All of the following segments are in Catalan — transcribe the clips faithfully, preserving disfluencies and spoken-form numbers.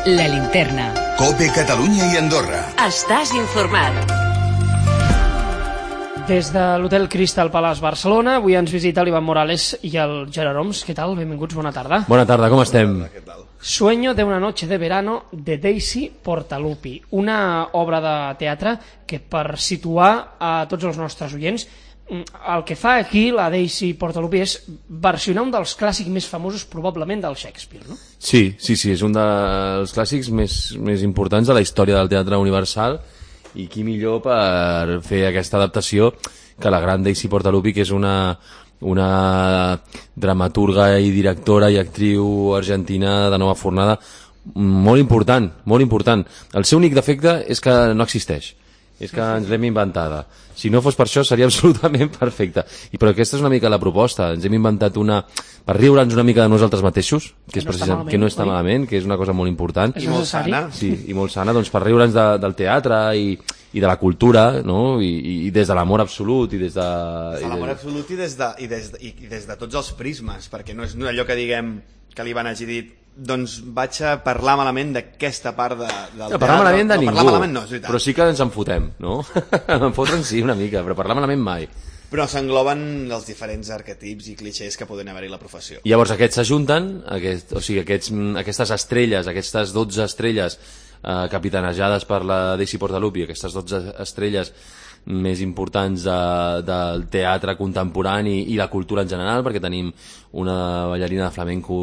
La Linterna. COPE Catalunya i Andorra. Estàs informat. Des de l'Hotel Crystal Palace Barcelona, avui ens visita l'Ivan Morales i el Gerard Oms. Què tal? Benvinguts, bona tarda. Bona tarda, com estem? Sueño de una noche de verano de Daisy Portaluppi, una obra de teatre que, per situar a tots els nostres oients, el que fa aquí la Daisy Portaluppi és versionar un dels clàssics més famosos probablement del Shakespeare, no? Sí, sí, sí, és un dels clàssics més, més importants de la història del teatre universal, i qui millor per fer aquesta adaptació que la gran Daisy Portaluppi, que és una, una dramaturga i directora i actriu argentina de nova fornada molt important, molt important. El seu únic defecte és que no existeix, és que ens l'hem inventada. Si no fos per això seria absolutament perfecta. I però aquesta és una mica la proposta, ens hem inventat una per riure'ns una mica de nosaltres mateixos, que, és no precisament, malament, que no està oi? malament, que és una cosa molt important. És necessari. Sí, i molt sana, doncs per riure'ns de, del teatre i, i de la cultura, no? I, i des de l'amor absolut i des de... Des de l'amor absolut i des de, i, des de, i des de tots els prismes, perquè no és allò que diguem que l'Ivan hagi dit, doncs vaig a parlar malament d'aquesta part de, del no, parlar malament de no, ningú, parlar malament no, és veritat. Però sí que ens en fotem, no? En fotre'n sí una mica, però parlar malament mai. Però s'engloben els diferents arquetips i clixés que poden haver-hi a la professió. I llavors aquests s'ajunten, aquest, o sigui, aquests, aquestes estrelles, aquestes dotze estrelles eh, capitanejades per la Daisy Portaluppi, aquestes dotze estrelles més importants de, del teatre contemporani i la cultura en general, perquè tenim una ballarina de flamenco,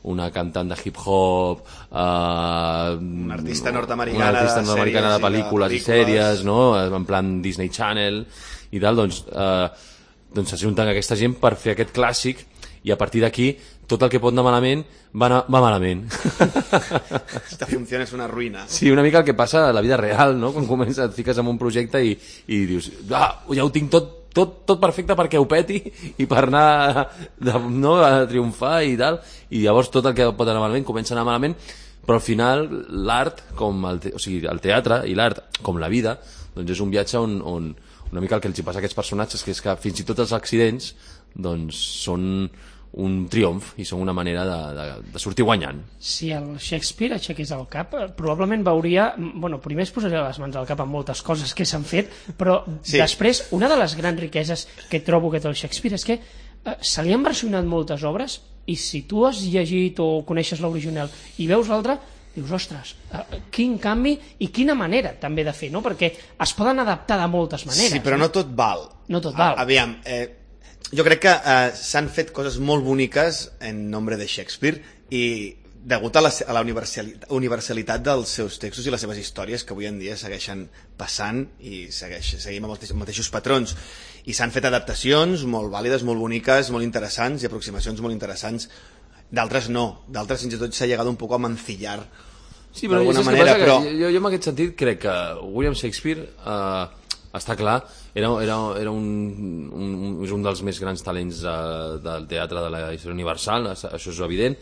una cantant de hip-hop, eh, una artista nord-americana, una artista nord-americana de, de pel·lícules i sèries, no? En plan Disney Channel i tal, doncs eh, doncs s'ajunten aquesta gent per fer aquest clàssic, i a partir d'aquí tot el que pot anar malament va, anar, va malament. Esta funció és una ruïna. Sí, una mica el que passa a la vida real, no? Quan comences, et fiques en un projecte i, i dius, ah, ja ho tinc tot, tot, tot perfecte perquè ho peti i per anar de, no, a triomfar i tal, i llavors tot el que pot anar malament comença a anar malament, però al final l'art, com el, te, o sigui, el teatre i l'art, com la vida, doncs és un viatge on, on una mica el que els hi passa a aquests personatges, que és que fins i tot els accidents doncs són un triomf i són una manera de, de, de sortir guanyant. Si el Shakespeare aixequés el cap, probablement veuria... Bueno, primer es posaria les mans al cap amb moltes coses que s'han fet, però sí. Després, una de les grans riqueses que trobo que té el Shakespeare és que eh, se li han versionat moltes obres, i si tu has llegit o coneixes l'original i veus l'altra, dius, ostres, eh, quin canvi i quina manera també de fer, no? Perquè es poden adaptar de moltes maneres. Sí, però no tot val. No tot val. A, aviam, eh, jo crec que eh, s'han fet coses molt boniques en nombre de Shakespeare i degut a la, a la universalitat, universalitat dels seus textos i les seves històries, que avui en dia segueixen passant i segueix, seguim amb els mateixos patrons, i s'han fet adaptacions molt vàlides, molt boniques, molt interessants i aproximacions molt interessants. D'altres no, d'altres fins i tot s'ha llegat un poc a mancillar sí, però d'alguna manera, manera, però... jo, jo en aquest sentit crec que William Shakespeare eh, està clar, era, era, era un, un, un, un dels més grans talents de, del teatre de la història universal, això és evident,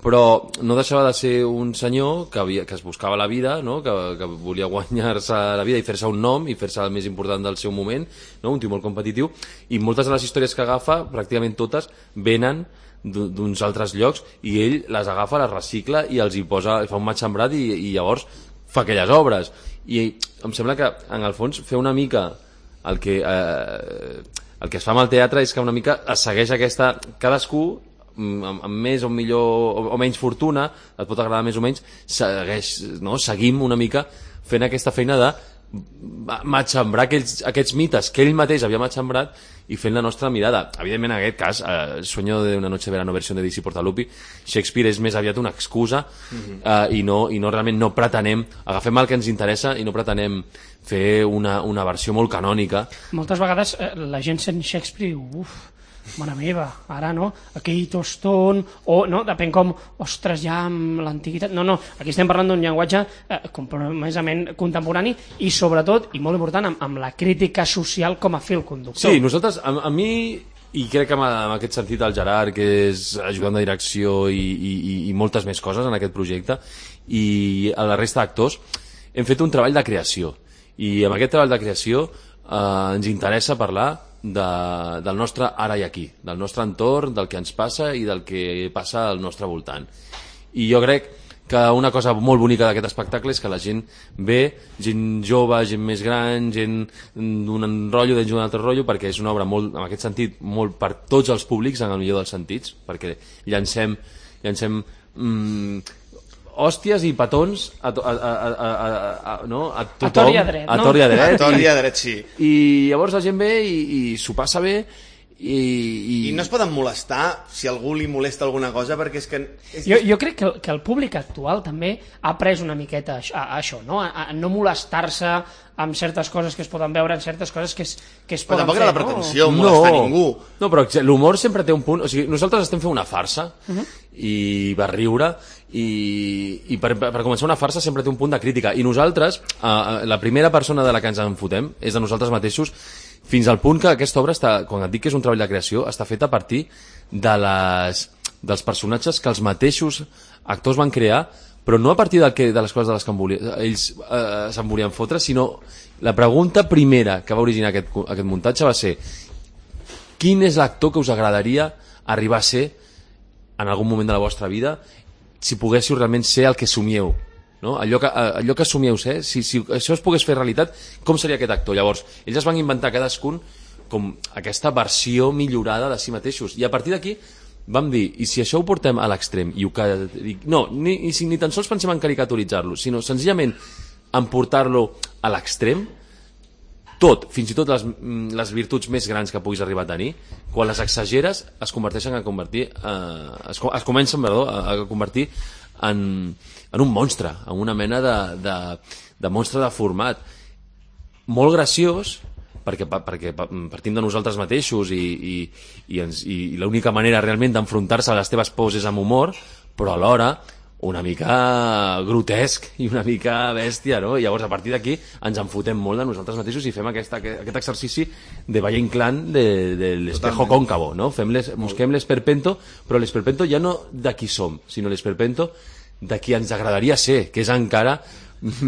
però no deixava de ser un senyor que, havia, que es buscava la vida, no? que, que volia guanyar-se la vida i fer-se un nom i fer-se el més important del seu moment, no? Un tio molt competitiu, i moltes de les històries que agafa, pràcticament totes, venen d'uns altres llocs, i ell les agafa, les recicla i els hi posa, fa un matxembrat i, i llavors fa aquelles obres. I em sembla que en el fons fer una mica el que eh, el que es fa amb el teatre és que una mica es segueix aquesta, cadascú amb, amb més o millor o, o menys fortuna, et pot agradar més o menys, segueix, no? Seguim una mica fent aquesta feina de matxembrar aquells, aquests mites que ell mateix havia matxembrat i fent la nostra mirada. Evidentment, en aquest cas, eh, Sueño de una noche de verano versió de Daisy Portaluppi, Shakespeare és més aviat una excusa, eh, i, no, i no realment no pretenem, agafem el que ens interessa i no pretenem fer una, una versió molt canònica. Moltes vegades eh, la gent sent Shakespeare diu, uf, mare meva, ara no, aquell tostón, o no, depèn com, ostres, ja amb l'antiguitat, no, no, aquí estem parlant d'un llenguatge eh, compromesament contemporani i sobretot, i molt important, amb, amb la crítica social com a fil conductor. Sí, nosaltres, a, a mi, i crec que en, en aquest sentit el Gerard, que és ajudant de direcció i, i, i moltes més coses en aquest projecte, i a la resta d'actors, hem fet un treball de creació, i amb aquest treball de creació eh, ens interessa parlar de, del nostre ara i aquí, del nostre entorn, del que ens passa i del que passa al nostre voltant. I jo crec que una cosa molt bonica d'aquest espectacle és que la gent ve, gent jove, gent més gran, gent d'un rotllo, gent d'un altre rotllo, perquè és una obra molt, en aquest sentit, molt per tots els públics, en el millor dels sentits, perquè llancem, llancem mm, hòsties i petons a, a, a, a, a, a, no? a tothom. A tort i a dret, no? A tort i a dret. A tort i a dret, sí. I llavors la gent ve i, i s'ho passa bé i, i... I no es poden molestar si algú li molesta alguna cosa, perquè és que... És... Jo, jo crec que, que el públic actual també ha après una miqueta a, a, a això, no? A, a no molestar-se amb certes coses que es poden veure, en certes coses que es, que es poden fer. Però tampoc era la pretensió, no? molestar no, ningú. No, però l'humor sempre té un punt... O sigui, nosaltres estem fent una farsa uh -huh. i va riure i, i per, per començar una farsa sempre té un punt de crítica. I nosaltres, eh, la primera persona de la que ens en fotem és de nosaltres mateixos, fins al punt que aquesta obra, està, quan et dic que és un treball de creació, està feta a partir de les, dels personatges que els mateixos actors van crear, però no a partir del que, de les coses de les que volia, ells eh, se'n volien fotre, sinó la pregunta primera que va originar aquest, aquest muntatge va ser: quin és l'actor que us agradaria arribar a ser en algun moment de la vostra vida si poguéssiu realment ser el que somieu? No? Allò, que, allò que somieu ser, si, si això es pogués fer realitat, com seria aquest actor? Llavors, ells es van inventar cadascun com aquesta versió millorada de si mateixos, i a partir d'aquí vam dir, i si això ho portem a l'extrem i ho que... no, ni, ni, ni tan sols pensem en caricaturitzar-lo, sinó senzillament en portar-lo a l'extrem, tot, fins i tot les, les virtuts més grans que puguis arribar a tenir, quan les exageres es converteixen a convertir eh, es, es comencen perdó, a, a convertir en, en un monstre, en una mena de, de, de monstre de format molt graciós, perquè, perquè partim de nosaltres mateixos i, i, i, ens, i l'única manera realment d'enfrontar-se a les teves pors és amb humor, però alhora una mica grotesc i una mica bèstia, no? I llavors a partir d'aquí ens en fotem molt de nosaltres mateixos i fem aquesta, aquest exercici de Valle Inclán de, de l'espejo còncavo, no? Fem les, busquem l'esperpento, però l'esperpento ja no de qui som, sinó l'esperpento de qui ens agradaria ser, que és encara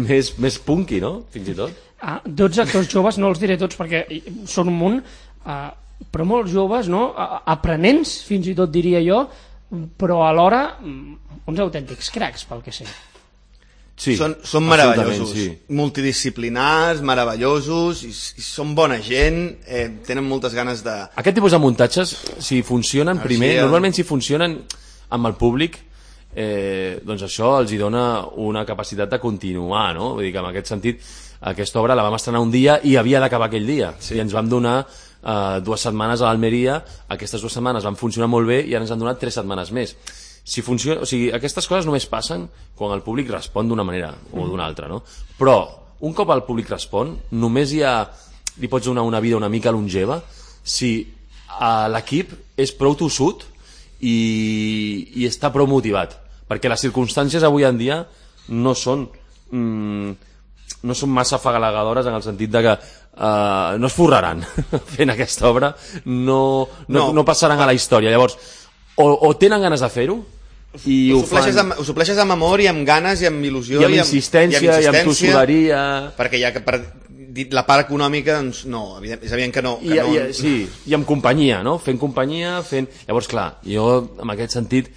més, més punky, no? Fins i tot. Ah, dotze actors joves, no els diré tots perquè són un munt, uh, però molts joves, no? Aprenents, fins i tot diria jo, però alhora uns autèntics cracs, pel que sé. Sí, són, són meravellosos, sí. Multidisciplinars, meravellosos, i, i són bona gent, eh, tenen moltes ganes de... Aquest tipus de muntatges, si funcionen ah, primer, sí, el... normalment si funcionen amb el públic, eh, doncs això els hi dona una capacitat de continuar, no? Vull dir que en aquest sentit, aquesta obra la vam estrenar un dia i havia d'acabar aquell dia, sí. I ens vam donar Uh, dues setmanes a l'Almeria, aquestes dues setmanes van funcionar molt bé i ara ens han donat tres setmanes més. Si funciona, o sigui, aquestes coses només passen quan el públic respon d'una manera o d'una altra, no? Però un cop el públic respon, només hi ha, li pots donar una vida una mica longeva si uh, l'equip és prou tossut i, i està prou motivat, perquè les circumstàncies avui en dia no són mm, no són massa afagalagadores en el sentit de que Uh, no es forraran fent aquesta obra, no, no, no. no passaran a la història. Llavors, o, o tenen ganes de fer-ho i ho, ho, fan... amb, ho supleixes amb amor i amb ganes i amb il·lusió i amb insistència i amb, i amb tossuderia, perquè ja que per la part econòmica doncs no, és evident que no, que I, no... I, sí, i amb companyia, no? Fent companyia, fent... Llavors, clar, jo en aquest sentit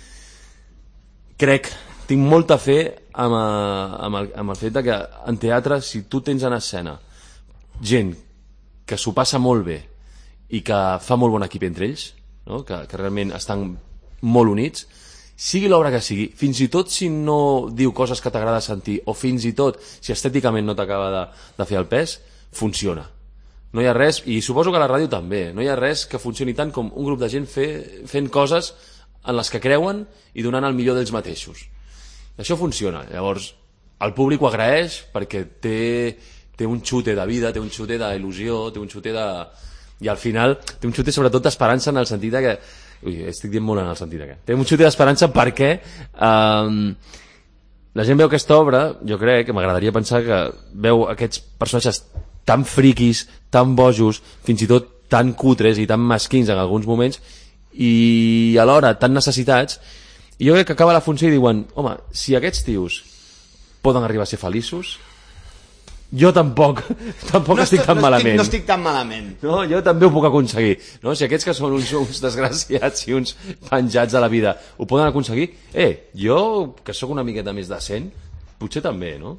crec, tinc molta fe amb, amb, el, amb el fet de que en teatre, si tu tens en escena gent que s'ho passa molt bé i que fa molt bon equip entre ells, no? que, que realment estan molt units, sigui l'obra que sigui, fins i tot si no diu coses que t'agrada sentir o fins i tot si estèticament no t'acaba de, de fer el pes, funciona. No hi ha res, i suposo que a la ràdio també, no hi ha res que funcioni tant com un grup de gent fer, fent coses en les que creuen i donant el millor d'ells mateixos. Això funciona. Llavors el públic ho agraeix perquè té té un xute de vida, té un xute d'il·lusió, té un xute de... I al final té un xute sobretot d'esperança en el sentit de que... Ui, estic dient molt en el sentit de que... Té un xute d'esperança perquè um, la gent veu aquesta obra, jo crec, que m'agradaria pensar que veu aquests personatges tan friquis, tan bojos, fins i tot tan cutres i tan mesquins en alguns moments, i alhora tan necessitats, i jo crec que acaba la funció i diuen, home, si aquests tios poden arribar a ser feliços, Jo tampoc, tampoc No estic tan no malament. No estic tan malament. No, jo també ho puc aconseguir. No? Si aquests que són uns, uns desgraciats i uns penjats de la vida ho poden aconseguir, eh, jo, que sóc una miqueta més decent, potser també, no?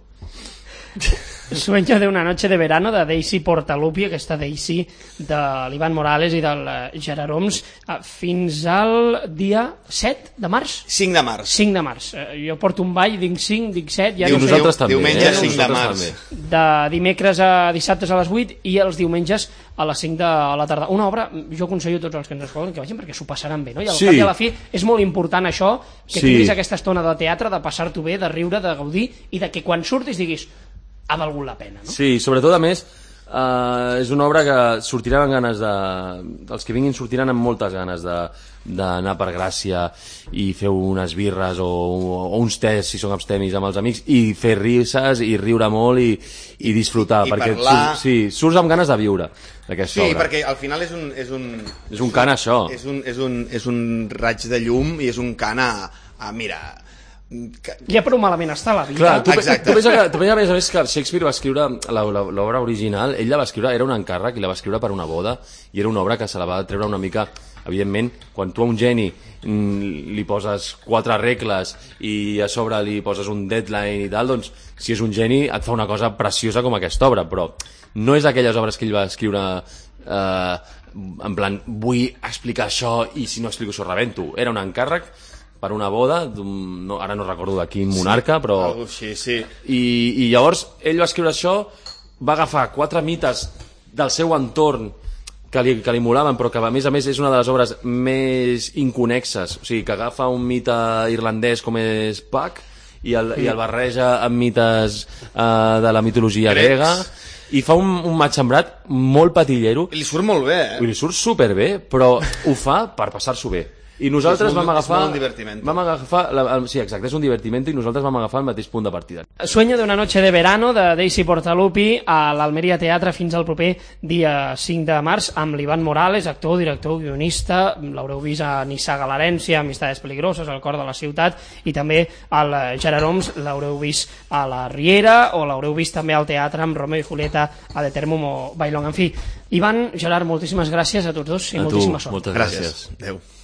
Sueño de una noche de verano de Daisy Portaluppi, aquesta Daisy de l'Ivan Morales i del eh, Gerard Oms, eh, fins al dia set de març? cinc de març. cinc de març. Eh, jo porto un ball, dic cinc, dic set, ja I no sé. nosaltres també. Diumenge eh? cinc de Nosaltres març. també. De dimecres a dissabtes a les vuit i els diumenges a les cinc de la tarda. Una obra, jo aconsello a tots els que ens escolten que vagin perquè s'ho passaran bé, no? I al Sí. cap i a la fi és molt important això, que Sí. tinguis aquesta estona de teatre, de passar-t'ho bé, de riure, de gaudir i de que quan surtis diguis ha valgut la pena, no? Sí, sobretot, a més, eh, és una obra que sortirà amb ganes de... Els que vinguin sortiran amb moltes ganes de d'anar per Gràcia i fer unes birres o, o uns tés, si són abstemis, amb els amics i fer risses i riure molt i, i disfrutar. I perquè parlar. Surts, sí, surts amb ganes de viure d'aquesta Sí, obra. perquè al final és un... És un, És un cant, això. És un, és, un, és un raig de llum i és un cant a... a mira... Que, Ja prou malament està la vida. Clar, tu, Exacte. tu pensa que, tu pensa, a més a més, que Shakespeare va escriure la- la- l'obra original, ell la va escriure, era un encàrrec i la va escriure per una boda i era una obra que se la va treure una mica, evidentment, quan tu a un geni mm, li poses quatre regles i a sobre li poses un deadline i tal, doncs si és un geni et fa una cosa preciosa com aquesta obra, però no és aquelles obres que ell va escriure eh, en plan, vull explicar això i si no explico això rebento. Era un encàrrec per una boda, no, ara no recordo de quin monarca, però... algo així, sí. I, I llavors ell va escriure això, va agafar quatre mites del seu entorn que li, que li molaven, però que a més a més és una de les obres més inconexes, o sigui, que agafa un mite irlandès com és Puck i el, i el barreja amb mites uh, de la mitologia Grecs. grega i fa un, un matxembrat molt patillero I li surt molt bé, eh? i li surt superbé, però ho fa per passar-s'ho bé. I nosaltres És molt- vam agafar... és molt un divertimento. Vam agafar la, el, sí, exacte, és un divertimento i nosaltres vam agafar el mateix punt de partida. Sueño de una noche de verano de Daisy Portaluppi a l'Almeria Teatre fins al proper dia cinc de març amb l'Ivan Morales, actor, director, guionista. L'haureu vist a Nissaga l'Herència, Amistades Peligroses, al cor de la ciutat, i també al Gerard Oms l'haureu vist a la Riera o l'haureu vist també al teatre amb Romeo i Julieta a De Termum o Bailón. En fi, Ivan, Gerard, moltíssimes gràcies a tots dos i A tu, moltíssima sort. moltes Gràcies. gràcies. Adéu.